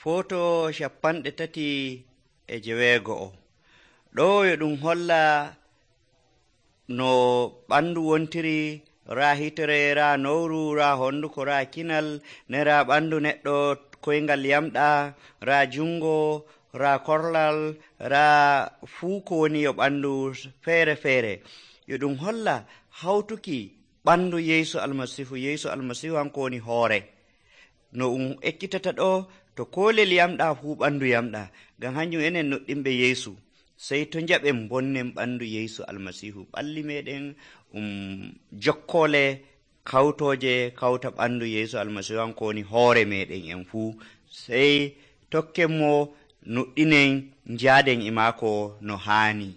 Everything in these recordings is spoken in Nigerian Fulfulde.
Foto 37. ɗo yo ɗum holla no ɓandu wontiri raa hitere raa nowru raa honduko raa kinal ne raa ɓandu neɗɗo koyngal yamɗa raa jungo raa korlal raa fuu ko woni yo ɓandu feere feere. Yo ɗum holla hawtuki ɓandu Yeesu almasihu hanko woni hoore. No ɗum ekkitata ɗo to kolel yamɗa fuu ɓandu yamɗa, ngam hanjum enen noɗɗinɓe Yeesu sey to njaɓen bonnen ɓandu Yeesu almasihu. Ɓalli meɗen jokkole kawtoje kawta ɓandu Yeesu almasihu hanko woni hoore meɗen en fuu, sey tokken mo nuɗɗinen njaaden e maako no haani.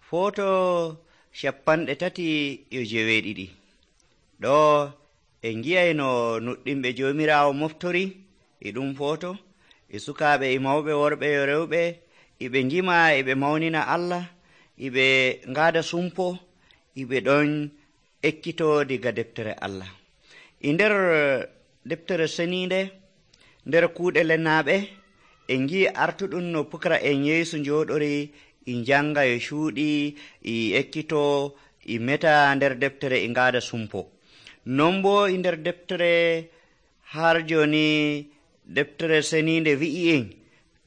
Foto 37. ɗo en gi'ay no nuɗɗinɓe joomiraawo moftori e ɗum foto, e sukaaɓe e mawɓe worɓe e rewɓe, eɓe ngima eɓe mawnina Allah, eɓe ngaada sumpo, eɓe ɗon ekkito diga deftere Allah. E nder deftere seniinde, nder kuuɗe lennaaɓe, en ngi'i artuɗum no pukara'en Yeesu njooɗori e njanga e cuuɗi e ekkito e meta nder deftere e ngaada sumpo. Non bo e nder deftere har joni deftere seniinde wi'i en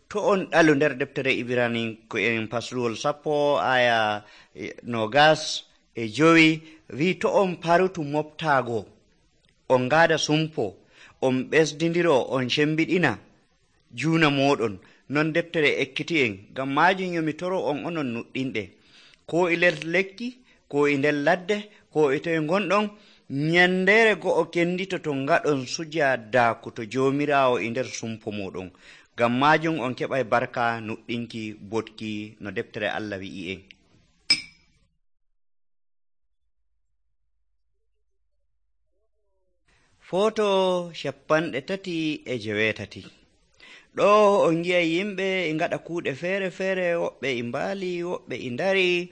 to on ɗalu nder deftere Ibraniyanko en pasluwol 10 aya 25 wi'i to on parutu moftaago on ngaada sumpo on ɓesdindiro on cembiɗina juuna moɗon. Non deftere ekkiti en, ngam majum yomi toro on onon nuɗɗinɓe, ko e nder lekki ko e nder ladde ko e toye gonɗon, nyandere go'o kendito to ngaɗon sujadaku to joomiraawo e nder sumpo moɗon. Ngam majum on keɓay barka nuɗɗinki botki no deftere Allah wi'i en. Foto 38. ɗo on gi'ay yimɓe e ngaɗa kuuɗe feere feere, woɓɓe e mbaali, woɓɓe e ndari,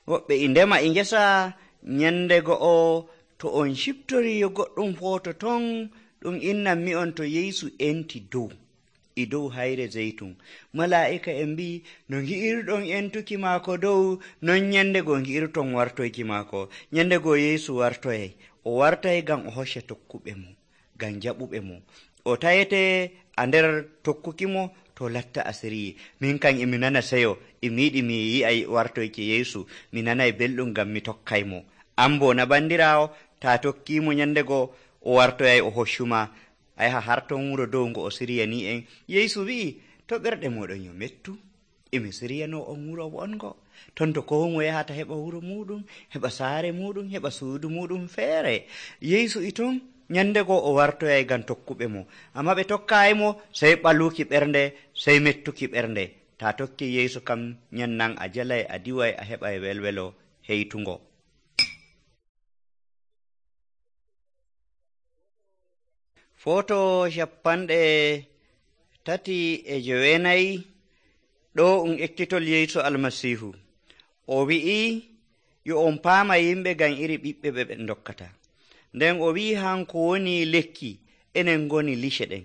woɓɓe e ndema e ngesa. Nyande go'o to on ciftori yo goɗɗum foto ton, ɗum innan mi on to Yeesu enti e dow hayre zeytun. Malaa'ika en mbi no ngi'irɗon entuki maako dow, non nyande go ngi'irton wartoyki maako. Nyande go Yeesu wartoyay, o wartay ngam o hocca tokkuɓe mo, ngam jaɓuɓe mo. O tayete a nder tokkuki mo to latta asiri. Min kan emi nana seyo, emi yiɗi mi yi'ay wartoyki Yeesu, mi nanay belɗum ngam mi tokkay mo. An bo na bandiraawo, ta tokkimo nyande go o wartoyay o hoccuma, a yaha har ton wuro dow ngo o siriyani en. Yeesu wi'i to ɓerɗe moɗon yo mettu, emi siriyano on wuro wongo ton to ko mo yahata heɓa wuro muɗum, heɓa saare muɗum, heɓa suudu muɗum feere. Yeesu e ton nyande go o wartoyay ngam tokkuɓe mo, amma ɓe tokkayi mo sey ɓaluki ɓernde, sey mettuki ɓernde. Ta tokki Yeesu kam nyannan a jalay, a diway, a heɓay welwelo heytungo. Foto 39. ɗo ekkitol Yeesu almasihu. O wi'i yo on paama yimɓe ngam iri ɓiɓɓe ɓe dokkata. Nden o wi'i hanko woni lekki, enen ngoni lice ɗen.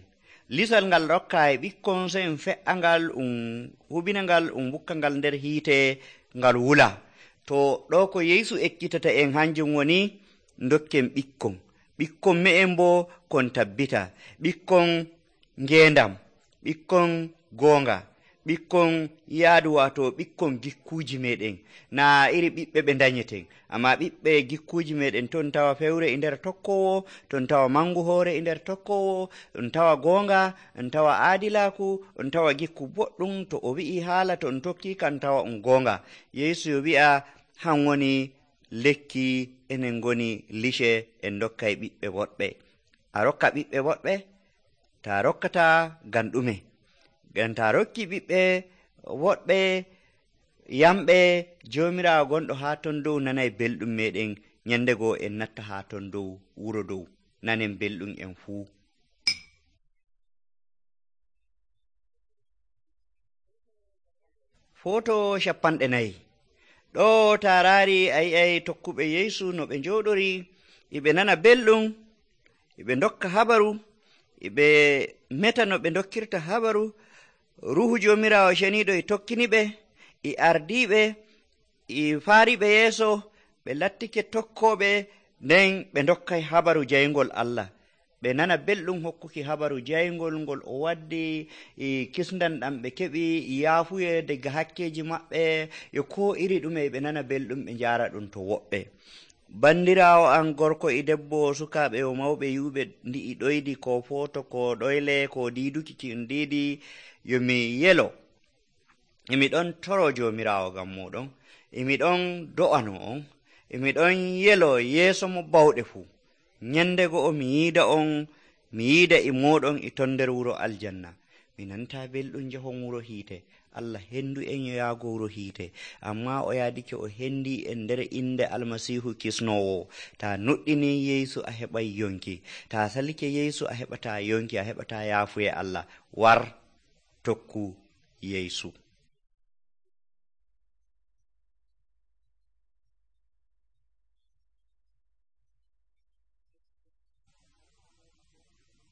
Lisal ngal rokka e ɓikkon, sey fe'a ngal hubina ngal bukka ngal nder hiite ngal wula. To ɗo ko Yeesu ekkitata en hanjum woni dokken ɓikkon me'en bo kon tabbita, ɓikkon ngendam, ɓikkon goonga, ɓikkon yaadu, wato ɓikkon gikkuji meɗen. Na iri ɓiɓɓe ɓe danyeten, amma ɓiɓɓe gikkuji meɗen. Ton tawa fewre e nder tokkowo, ton tawa mangu hoore e nder tokkowo, on tawa goonga, on tawa aadilaku, on tawa gikku boɗɗum. To o wi'i haala to on tokki kan tawa on goonga. Yeesu yo wi'a han woni lekki, enen ngoni lice, en dokkay ɓiɓɓe woɗɓe. A rokka ɓiɓɓe woɗɓe, ta rokkata ngam ɗume? Ngam ta rokki ɓiɓɓe woɗɓe yamɓe, joomiraawo gonɗo haa ton dow nanay belɗum meɗen. Nyande go en natta haa ton dow wuro dow, nanen belɗum en fuu. Foto 40. ɗo taaraari a yi'ay tokkuɓe Yeesu no ɓe njooɗori, iɓe nana belɗum, iɓe dokka habaru, iɓe meta no ɓe dokkirta habaru. Ruhu Joomiraawo ceniiɗo e tokkiniɓe, e ardiiɓe, e faariɓe yeeso, ɓe lattike tokkooɓe, nden ɓe dokkay habaru jayngol Allah. Ɓe nana belɗum hokkuki habaru jayngol ngol o waddi, e kisndam ɗam ɓe keɓi, e yaafuye daga hakkeeji maɓɓe, e ko iri ɗume ɓe nana belɗum ɓe njaara ɗum to woɓɓe. Bandiraawo an gorko e debbo, sukaaɓe o mawɓe yuuɓe ndi'i ɗoydi, ko footo, ko ɗoyle, ko diiduki ki on diidi, yo mi yelo emi ɗon toro Joomiraawo ngam moɗon, emi ɗon do'ano on, emi ɗon yelo yeeso mo bawɗe fuu, nyande go'o mi yiida on, mi yiida e moɗon e ton nder wuro aljanna. Mi nanta belɗum jahon wuro hiite. Allah hendu en yo yaago wuro hiite, amma o yaadike o hendi en nder inde Almasiihu kisnowo. Ta nuɗɗini Yeesu a heɓay yonki, ta salike Yeesu a heɓata yonki, a heɓata yaafuye Allah. War tokku Yeesu.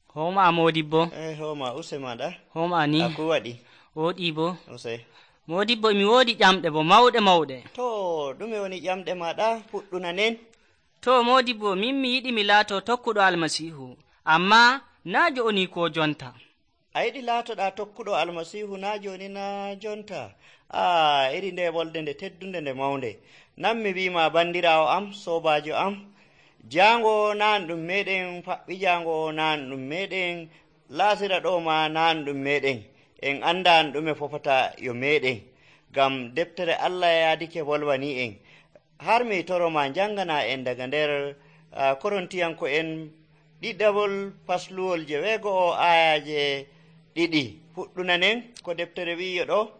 Homa Modibbo. Homa use maɗa. Homa ni. Aku waɗi. Woɗi bo. Use. Modibbo mi woodi ƴamɗe bo mawɗe. To, ɗume woni ƴamɗe maɗa fuɗɗuna nen? To Modibbo, min mi yiɗi mi laato tokkuɗo Almasiihu, amma naa joni ko jonta. A yiɗi laatoɗa tokkuɗo Almasiihu naa joni naa jonta? Iri nde wolde nde teddunde nde mawnde. Nan mi wima bandiraawo am, sobajo am, jango nan ɗum meɗen, faɓɓi jango nan ɗum meɗen, laasira ɗo ma nan ɗum meɗen, en andan ɗume fofata yo meɗen, ngam deftere Allah yaadike volwani en. Har mi toroma jangana en daga nder Korintiyanko en ɗiɗabol fasluwol 9 ayaje 2 fuɗɗunanen ko deftere wi'yo ɗo.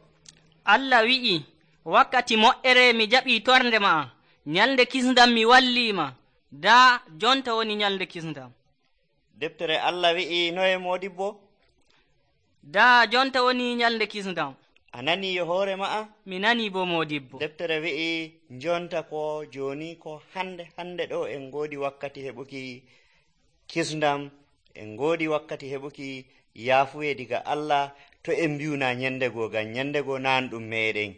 Allah wi'i, wakkati moƴƴere mi jaɓi torde ma, nyalde kisndam mi wallima, da jonta woni nyalde kisndam. Deftere Allah wi'i noye Modibbo? Da jonta woni nyalde kisndam. A nani yo hoore ma'a? Mi nani bo Modibbo. Deftere wi'i jonta ko joni ko hande ɗo en godi wakkati heɓuki kisndam, en godi wakkati heɓuki yaafuye diga Allah, to en mbiyuna nyandego, ngam nyandego nan ɗum meɗen.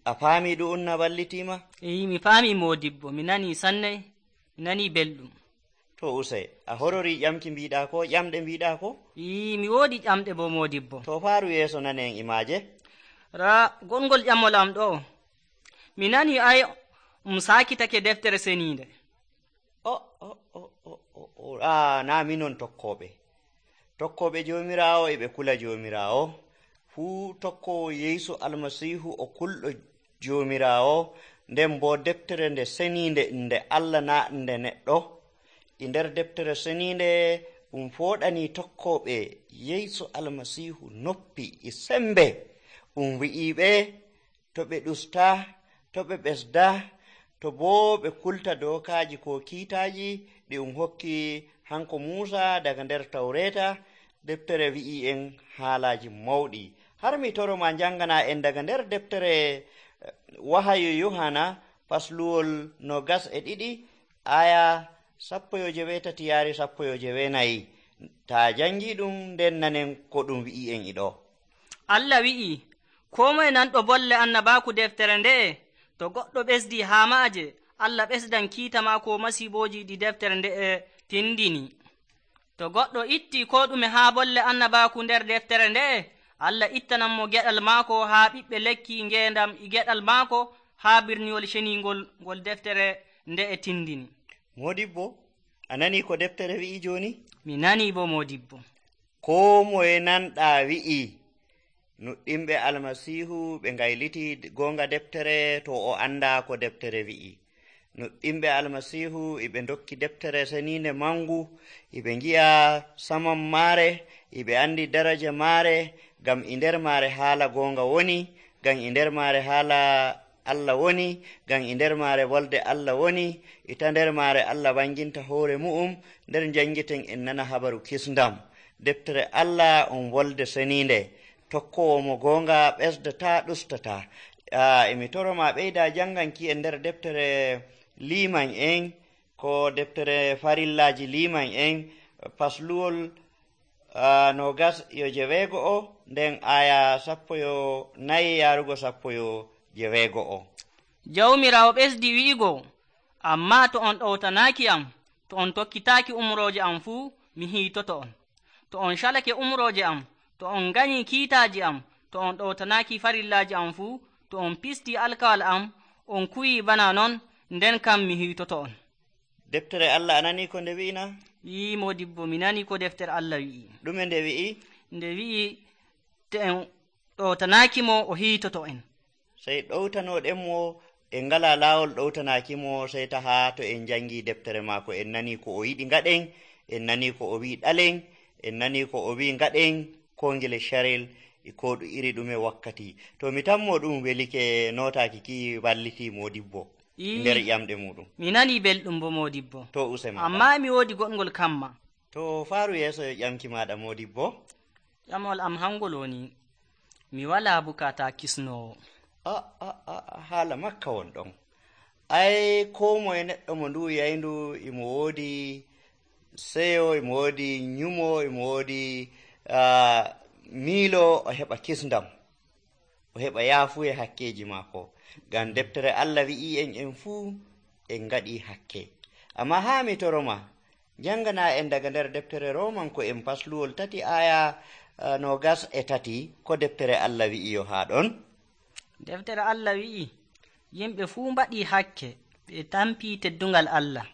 A faami ɗum na ballitima? Mi faami Modibbo, mi nani sanne, mi nani belɗum. To usay, a horori ƴamki mbiɗa ko, ƴamɗe mbiɗa ko? Mi woodi ƴamɗe bo Modibbo. To faaru yeeso nanen imaje. Gongol ƴamol am ɗo, mi nani ay sakitake deftere seninde. Na minon tokkoɓe Joomiraawo eɓe kula Joomiraawo. Fuu tokkowo Yeesu Almasiihu o kulɗo Joomiraawo, nden bo deftere nde seninde nde Allah na nde neɗɗo. E nder deftere seninde ɗum fooɗani tokkoɓe Yeesu Almasiihu noppi e sembe. Ɗum wi'iɓe to ɓe ɗusta, to ɓe ɓesda, to boo ɓe kulta dokaji ko kiitaji ɗi hokki hanko Muusa daga nder Tawreta. Deftere wi'i en haalaji mawɗi. Har mi toroma jangana en daga nder deftere Wahayu Yohana fasluwol 22 aya 18 yaari 19. Ta jangi ɗum nden nanen ko ɗum wi'i en iɗo. Allah wi'i, ko moye nanɗo bolle annabaku deftere nde'e, to goɗɗo ɓesdi haa maaje, Allah ɓesdan kiita maako masiboji ɗi deftere nde'e tindini. To goɗɗo itti ko ɗume haa bolle annabaku nder deftere nde'e, Allah ittanan mo geɗal maako haa ɓiɓɓe lekki ngendam e geɗal maako haa birniwol ceningol ngol deftere nde'e tindini. Modibbo, a nani ko deftere wi'i joni? Mi nani bo Modibbo. Ko moye nanɗa wi'i nuɗɗimɓe Almasiihu ɓe ngayliti gonga deftere to o anda ko deftere wi'i. Nuɗɗimɓe Almasiihu eɓe dokki deftere seninde mangu, eɓe ngi'a saman maare, eɓe andi daraja maare, ngam e nder maare haala gonga woni, ngam e nder maare haala Allah woni, ngam e nder maare wolde Allah woni, ita nder maare Allah wanginta hoore mu'um, nder jangiten en nana habaru kisndam. Deftere Allah on wolde seninde, tokkowo mo gonga ɓesdata ɗustata. Emi toroma ɓeyda janganki en nder deftere liman en ko deftere farillaji liman en pasluwol 29 nden aya 14 yarugo 17. jawmirawo ɓesdi wi'igo, amma to on ɗowtanaki am, to on tokkitaki umroje am fuu, mi hiitoto on. To on calake umroje am, to on ganyi kiitaji am, to on ɗowtanaki farillaji am fuu, to on pisti alkawal am, on kuyi bana non, nden kam mi hiitoto on. Deftere Allah anani ko nde wi'ina? Yi modibbo, mi nani ko deftere Allah wi'i. Ɗume nde wi'i? Nde wi'i to en ɗowtanakimo o hiitoto en. Sey ɗowtanoɗenmo en ngala laawol ɗowtanakimo, sey taha to en jangi deftere maako en nani ko o yiɗi ngaɗen, en nani ko o wi ɗalen, en nani ko o wi ngaɗen ko ngele sharel ko iri ɗume wakkati. To mi tanmo ɗum welike notaki ki walliti modibbo nder ƴamɗe muɗum. Mi nani belɗum bo modibbo. To usema. Amma mi wodi goɗgol kamma. To faru yeso ƴamki maɗa modibbo. Ƴamol am hangol woni mi wala bukata kisnowo. Haala makka won ɗon. Ai ko moye neɗɗo mo ndu yayndu imo woodi seyo, imo woodi nyumo, imo woodi miilo, o heɓa kisndam, o heɓa yaafuye hakkeji maako. Ngam deftere Allah wi'i en fuu en ngaɗi hakke. Amma haa mi toroma jangana en daga nder deftere romanko en pasluwol 3 aya 23 ko deftere Allah wi'i yo haa ɗon. Deftere Allah wi'i yimɓe fuu mbaɗi hakke, ɓe tampi teddungal Allah.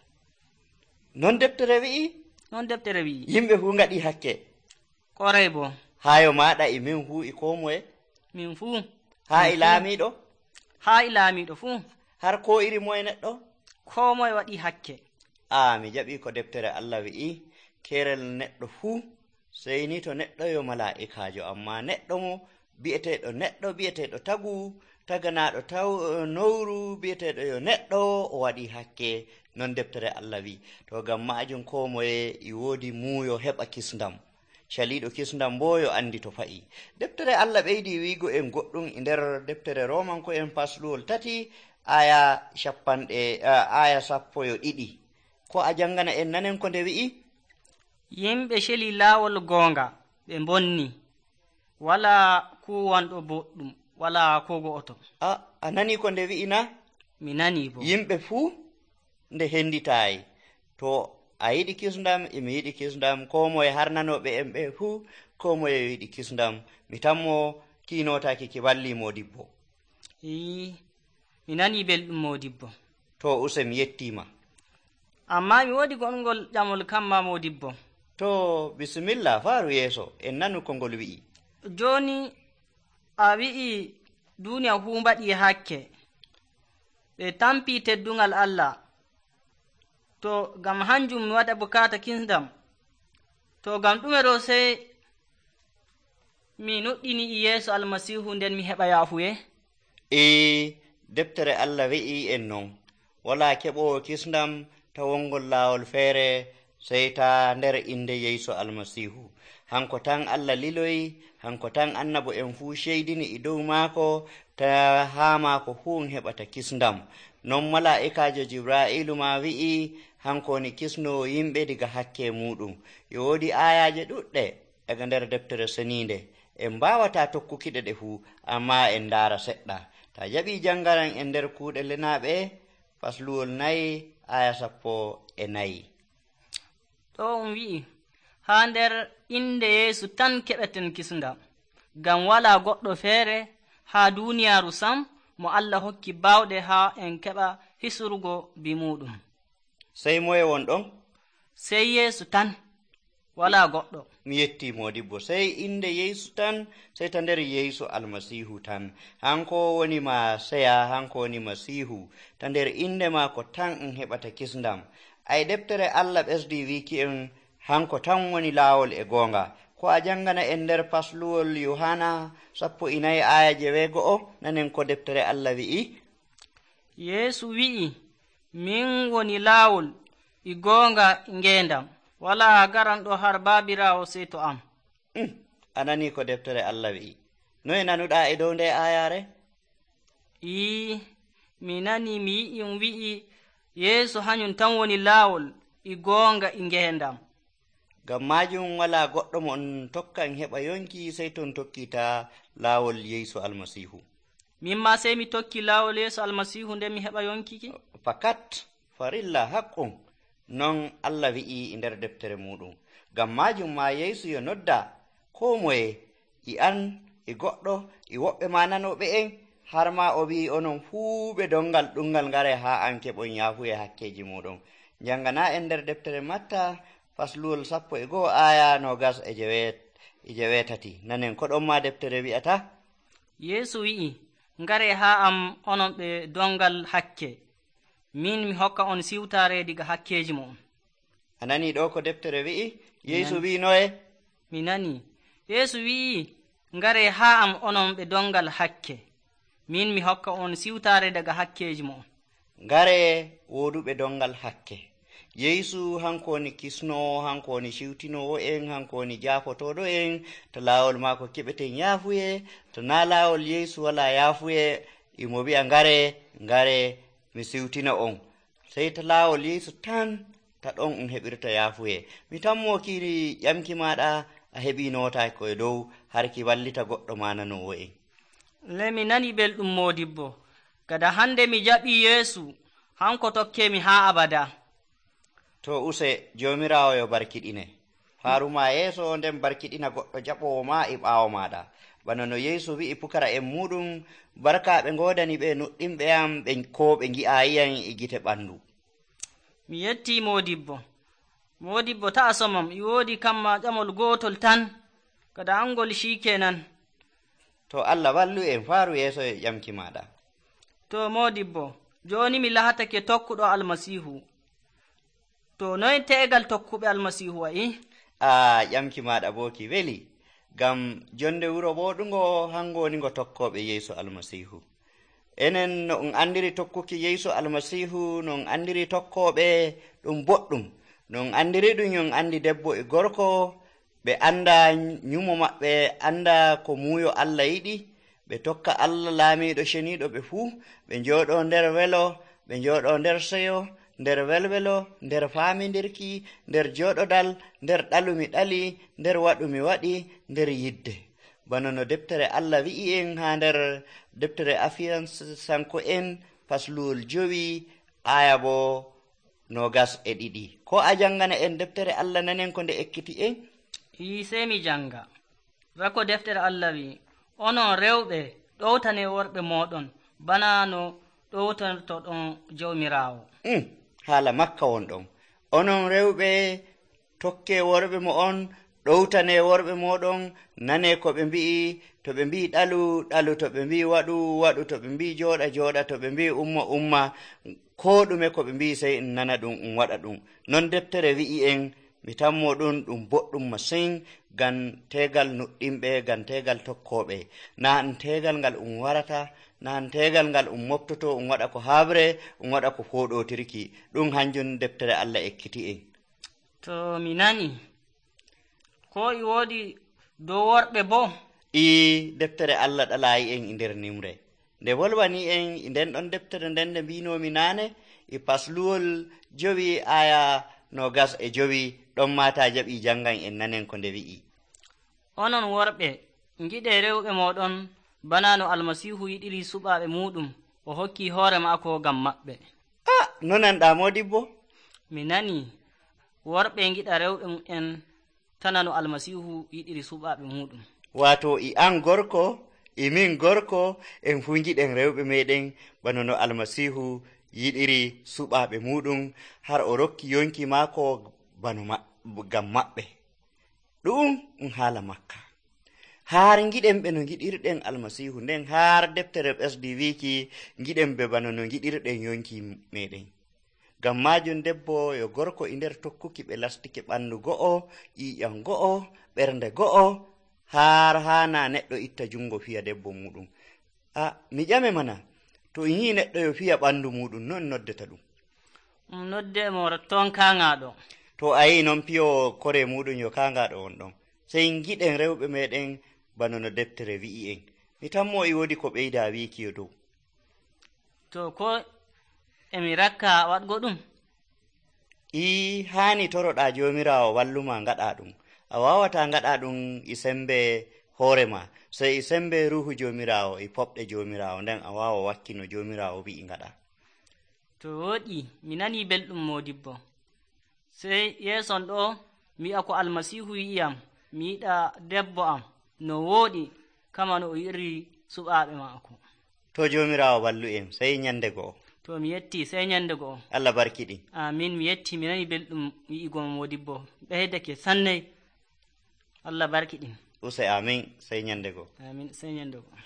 Non deftere wi'i? Non deftere wi'i. Yimɓe fuu ngaɗi hakke. Koray bo. Hayo maɗa e min fuu e ko moye? Min fuu. Haa e laamiɗo? Haa e laamiɗo fuu. Har ko iri moye neɗɗo? Ko moye waɗi hakke. Mi jaɓi ko deftere Allah wi'i kerel neɗɗo fuu, sey ni to neɗɗo yo mala'ikajo, amma neɗɗo mo bi'eteɗo neɗɗo, bi'eteɗo taganaɗo nowru, bi'eteɗo yo neɗɗo, o waɗi hakke. Non deftere Allah wi. To gam majum ko moye i woodi muuyo heɓa kisndam, caliɗo kisndam bo yo andi to fa'i. Deftere Allah ɓeydi wiigo en goɗɗum e nder deftere romanko en pasluwol 3 aya 12. Ko a jangana en nanen ko nde wi'i? Yimɓe celi laawol goonga ɓe bonni, wala kuwanɗo boɗɗum, wala ko go'oto. A nani ko nde wi'ina? Mi nani bo. Yimɓe fuu nde henditayi. To a yiɗi kisndam, emi yiɗi kisndam, ko moye har nanoɓe en ɓe fuu, ko moye yiɗi kisndam. Mi tanmo kinotaki ki walli modibbo. Mi nani belɗum modibbo. To use mi yettima. Amma mi wodi gonngol ƴamol kamma modibbo. To bisimilla faru yeeso, en nanu ko ngol wi'i. Joni a wi'i duniya fuu mbaɗi hakke, ɓe tampi teddungal Allah. To gam hanjum mi waɗa bukata kisndam, to gam ɗume ɗo sey mi nuɗɗini e yeeso almasihu nden mi heɓa yaafuye? Deftere Allah wi'i en non, wala keɓowo kisndam ta wongol laawol feere sey ta nder inde Yeesu almasihu. Hanko tan Allah liloyi, hanko tan annabo en fuu ceydini e dow maako, ta haa maako fuu heɓata kisndam. Non mala'ikajo Jibra'ilu ma wi'i hanko woni kisnowo yimɓe diga hakke muɗum. Yo woodi ayaje ɗuɗɗe daga nder deftere seninde, en mbawata tokkukiɗe ɗe fuu, amma en ndaara seɗɗa. Ta jaɓi jangaran en nder kuuɗe lenaɓe fasluwol 4 aya 14. Ɗo wi'i haa nder inde Yeesu tan keɓeten kisndam, ngam wala goɗɗo feere haa duniyaaru sam mo Allah hokki bawɗe haa en keɓa hisurgo bi muɗum. Sey moye won ɗon? Sey Yeesu tan, wala goɗɗo. Mi yetti modibbo, sey inde Yeesu tan, sey ta nder Yeesu almasihu tan. Hanko woni ma seya, hanko woni masihu, ta nder inde maako tan en heɓata kisndam. Ay deftere Allah ɓesdi wiki en hanko tan woni laawol e goonga. Ko a jangana en nder pasluwol Yohana 14 aya 9 nanen ko deftere Allah wi'i. Yeesu wi'i, min woni laawol e goonga e ngeendam, wala garanɗo har baabirawo sey to am. Anani ko deftere Allah wi'i. Noye nanuɗa e dow nde ayare? Mi nani mi yi'i wi'i yeesu hanyum tan woni laawol e goonga e ngeendam. ngam maajum wala goɗɗo mo on tokkan heɓa yonki sey ton tokkita laawol yeesu almasiihu. Min ma sey mi tokki laawol yeesu almasiihu nden mi heɓa yonkiki? Fakat farilla haqqum non Allah wi'i e nder deftere muɗum. ngam maajum ma yeesu yo nodda koo moye e an e goɗɗo e woɓɓe ma nanoɓe en, har ma o wi'i onon fuu ɓe dongal ɗumngal ngare haa an keɓon yaafuye hakkeji muɗum. njangana en nder deftere Matta fasluwol 11 aya 27 nanen ko ɗon ma deftere wi'ata. yeesu wi'i, ngare haa am onon ɓe dongal hakke, min mi hokka on siwtaare diga hakkeji mon. A nani ɗo ko deftere wi'i? yeesu wi'i noye? Mi nani. yeesu wi'i, ngare haa am onon ɓe dongal hakke, min mi hokka on siwtaare daga hakkeji mon. ngare woduɓe dongal hakke. yeesu hanko woni kisnowo, hanko woni siwtinowo en, hanko woni jaafotoɗo en. to laawol maako keɓeten yaafuye, to na laawol yeesu wala yaafuye, imo wi'a ngare mi siwtina on. sey to laawol yeesu tan ta ɗon heɓirta yaafuye. mi tammo kiri ƴamki maɗa a heɓi notaki koye dow har ki wallita goɗɗo ma nanowo en. Le mi nani belɗum modibbo, gada hande mi jaɓi yeesu, hanko tokkemi haa abada. to use jomirawo yo barkiɗine faruma yeeso, nden barkiɗina goɗɗo jaɓowo ma e ɓaawo maɗa. bana no yeesu wi'i pukara en muɗum, barka ɓe godani ɓe nuɗɗinɓe am ko ɓe gi'ayiyan e gite ɓandu. Mi yetti modibbo ta'a somam, i woodi kamma ƴamol gotol tan, kada angol shikenan. to Allah wallu en, faaru yeeso e ƴamki maɗa. to modibbo, joni mi lahatake tokkuɗo almasihu. to noy te'egal tokkuɓe almasihu wa'i? ƴamki maɗa bo ki weli, ngam jonde wuro ɓoɗugo hango woni ngo tokkoɓe yeesu almasihu. enen no on andiri tokkuki yeesu almasihu, no on andiri tokkoɓe ɗum boɗɗum. no on andiri ɗum yon andi debbo e gorko, ɓe anda nyumo maɓɓe, anda ko muuyo Allah yiɗi, ɓe tokka Allah laamiɗo ceniɗo ɓe fuu, ɓe njooɗo nder welo, ɓe njooɗo nder seyo, nder welwelo, nder faamindirki, nder jooɗodal, nder ɗalumi ɗali, nder waɗumi waɗi, nder yidde. bana no deftere Allah wi'i en ha nder deftere Afiyansanko en fasluwol 5 aya bo 22. ko a jangana en deftere Allah nanen ko nde ekkiti en? sey mi janga. rako deftere Allah wi, onon rewɓe ɗowtane worɓe moɗon bana no ɗowtantoɗon jawmirawo. haala makka won ɗon. onon rewɓe tokke worɓe mo on, ɗowtane worɓe moɗon, nane ko ɓe mbi'i. to ɓe mbi'i ɗalu, to ɓe mbi'i waɗu, to ɓe mbi'i jooɗa, to ɓe mbi'i umma, ko ɗume ko ɓe mbi'i sey en nana ɗum, waɗa ɗum. non deftere wi'i en. mi tammo ɗum boɗɗum masin, ngam tegal nuɗɗinɓe, ngam tegal tokkoɓe. na an tegal ngal warata, na an tegal ngal moftoto, waɗa ko habre, waɗa ko foɗotirki. ɗum hanjum deftere Allah ekkiti en. to mi nani, ko i woodi dow worɓe bo? deftere Allah ɗalayi en e nder nimre. nde wolwani en e nden ɗon deftere nden nde mbinomi nane e pasluwol 5 aya 25, ɗon mata jaɓi jangan en nanen ko nde wi'i. onon worɓe, giɗe rewɓe moɗon bana no almasihu yiɗiri suɓaɓe muɗum, o hokki hoore maako ngam maɓɓe. no nanɗa modibbo? mi nani, worɓe giɗa rewɓe en tana no almasihu yiɗiri suɓaɓe muɗum. wato i an gorko e min gorko en fu giɗen rewɓe meɗen bana no almasihu yiɗiri suɓaɓe muɗum, har o rokki yonki maako ngam maɓɓe. ɗum haala makka. har giɗen ɓe no giɗirɗen almasihu, nden har deftere ɓesdi wiki giɗen ɓe bana no giɗirɗen yonki meɗen. ngam majum debbo yo gorko e nder tokkuki ɓe lastike ɓandu go'o, ƴiƴam go'o, ɓernde go'o, har hana neɗɗo itta jungo fiya debbo muɗum. mi ƴame mana, to yi neɗɗo yo fiya ɓandu muɗum, non noddeta ɗum? nodde mo ton kangaɗo. to a yi non piyo kore muɗum yo kangaɗo on ɗon. sey giɗen rewɓe meɗen bana no deftere wi'i en. mi tammo e wodi ko ɓeyda wiki yo dow. to ko emi rakka waɗgo ɗum? haani toroɗa jomirawo walluma ngaɗa ɗum. A wawata ngaɗa ɗum e sembe hoore ma, sey e sembe ruhu jomirawo e poɓɗe jomirawo, nden a wawa wakkino jomirawo wi'i ngaɗa. To woɗi, mi nani belɗum modibbo. Sey yeeson ɗo mi yi'a ko almasihu yi'iyam, mi yiɗa debbo am no wooɗi kama no o yi'iri suɓaaɓe maako. To jomirawo ballu en, sey nyande go'o. To mi yetti, sey nyande go'o. Allah barkiɗin. Amin, mi yetti, mi nani belɗum wi'igo modibbo. Ɓeydake sannay. Allah barkiɗin. Use amin, sey nyande go'o. Amin, sey nyande go'o.